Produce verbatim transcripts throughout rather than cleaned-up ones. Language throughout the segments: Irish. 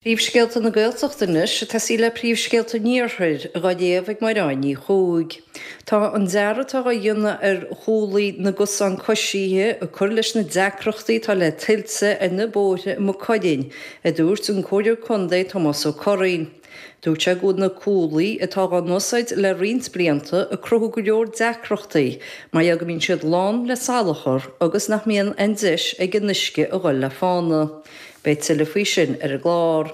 Príomhscéalta na Gaeltachta anois, ag tosaí le príomhscéalta an Iarthair, dhá léamh ag Máire Ní Chuaig. Tá an dearadh atá á dhéanamh ar chuaillí na gcosán coisithe ag cur leis na deacrachtaí atá le tuilte ar na bóithre i Maigh Cuilinn, a dúirt an Comhairleoir Contae Tomás Ó Curraoin. Dúirt sé go bhfuil na cuaillí atá á n-úsáid le roinnt blianta ag cruthú go leor deacrachtaí mar gheall go mbíonn siad lán le salachar agus nach mbíonn aon deis ag an uisce a dhul le fána. Beidh tuilleadh faoi sin ar an gclár.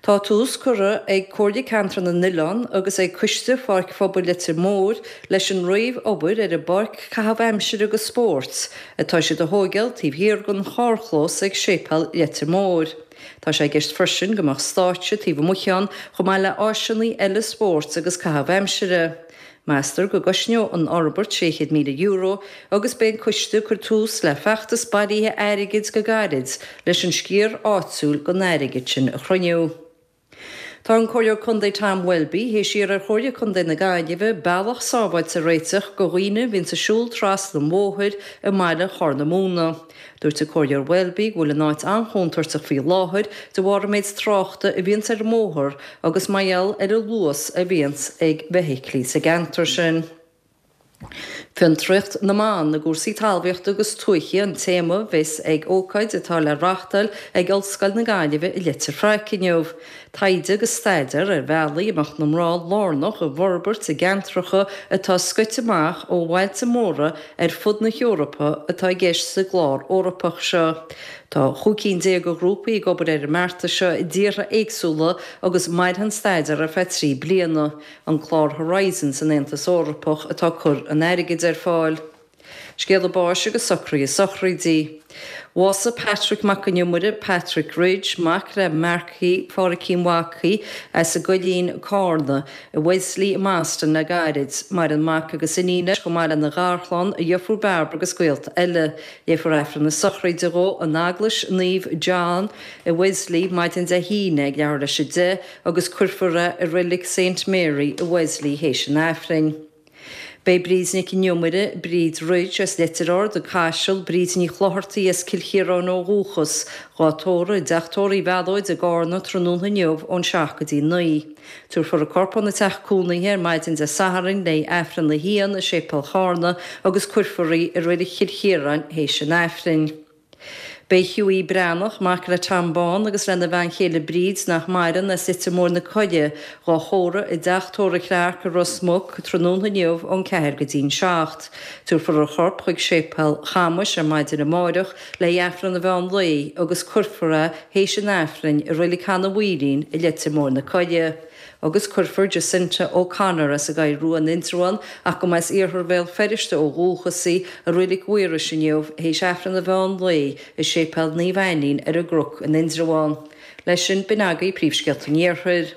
Tá tús curtha ag Comhairle Ceantar na nOileán agus ag Coiste Pháirc Phobail Leitir Móir leis an réamh-obair ar an bpáirc caitheamh aimsire agus spóirt atá siad a thóigeáil taobh thiar den charrchlós ag Séipéal Leitir Móir. Tá sé i gceist freisin go mbeadh stáitse taobh amuigh ann chomh maith le áiseanna eile spóirt agus caitheamh aimsire. Meastar go gcosnóidh an fhorbairt sé chéad míle euro agus beidh an coiste ag cur tús le feachtas bailithe airgid go gairid leis an sciar áitiúil den airgead sin a chruinniú. Tá an Comhairleoir Contae Tom Welby théis iarraidh ar Chomhairle Contae na Gaillimhe bealach sábháilte a réiteach do dhaoine a bhíonns ag siúl trasna an bhóthair i mbaile Chorr na Móna. Dúirt an Comhairleoir Welby go bhfuil an áit an-chontúirteach faoi láthair de bharr an méid tráchta a bhíonns ar an mbóthar agus mar gheall ar an luas a bhíonns ag feithiclí sa gceantar sin. Fiontraíocht na mban i gcúrsaí talmhaíochta agus tuaithe an téama a bheas ag ócáid atá le reáchtáil ag Ollscoil na Gaillimhe i Leitir Fraic inniu. Taighde agus staidéar ar bhealaí a mbeadh na mná lárnach i bhforbairt i gceantracha atá scoite amach ó bhailte móra ar fud na hEorpa atá i gceist sa gclár Eorpach seo. Tá chúig cinn déag de ghrúpaí ag obair ar an mbeartas seo i dtíortha éagsúla agus mairfidh an staidéar ar feadh trí bliana. An clár Horizon san Aontas Eorpach atá ag cur an airgid ar fáil. Scéala báis agus socruithe sochraidí. Bhásaigh Patrick Mac an Iomaire, Patrick Ridge, mac le Marcaí Phádraicín Mhacaí as an gCoillín, Cárna, i Wesley i mBoston le gairid. Maireann mac agus iníon leis chomh maith lena gharchlann, a dheirfiúr Barbara agus gaolta eile. Léifear Aifreann na sochraide dhó in Eaglais Naomh John i Wesley maidin Dé hAoine ag leathuair leis a deich agus cuirfear é i Reilig Saint Mary i Wesley théis an Aifrinn. Beidh Bríd Nic an Iomaire, Bríd Ridge as Leitir Ard, an Caiseal, Bríd Ní Chlochartaigh as Cill Chiaráin ó dhúchas, dhá tórramh i dTeach Tórraimh Uí Mhealóid i gCarna tráthnóna inniu ón seacht go dtí naoi. Tabharfar a corp óna teach cónaithe ar maidin Dé Sathairn le Aifreann a haon i Séipéal Charna agus cuirfear í i Reilig Chill Chiaráin théis an Aifrinn. Beidh Hughie Breathnach, mac le Tom Bán agus lena bhean chéile Bríd, nach maireann, as Leitir Móir na Coille, dhá thórramh i dTeach Tórraimh Clarke i Ros Muc tráthnóna inniu ón ceathair go dtí'n seacht. Tabharfar a chorp chuig Séipéal Chamuis ar maidin amáireach le hAifreann an mheán lae agus cuirfear é théis an Aifrinn i Reilig Chanadh Mhaoilín i Leitir Móir na Coille. Agus cuirfear Jacinta O'Connor as an gCoill Rua in Indreabhán ach go mba as iarthar Bhéal Feirste ó dhúchas í i Reilig Mhaorais inniu théis Aifreann an mheán lae i Séipéal Naomh Ainnín ar an gCnoc in Indreabhán. Leis sin, b'in agaibh príomhscéalta an Iarthair.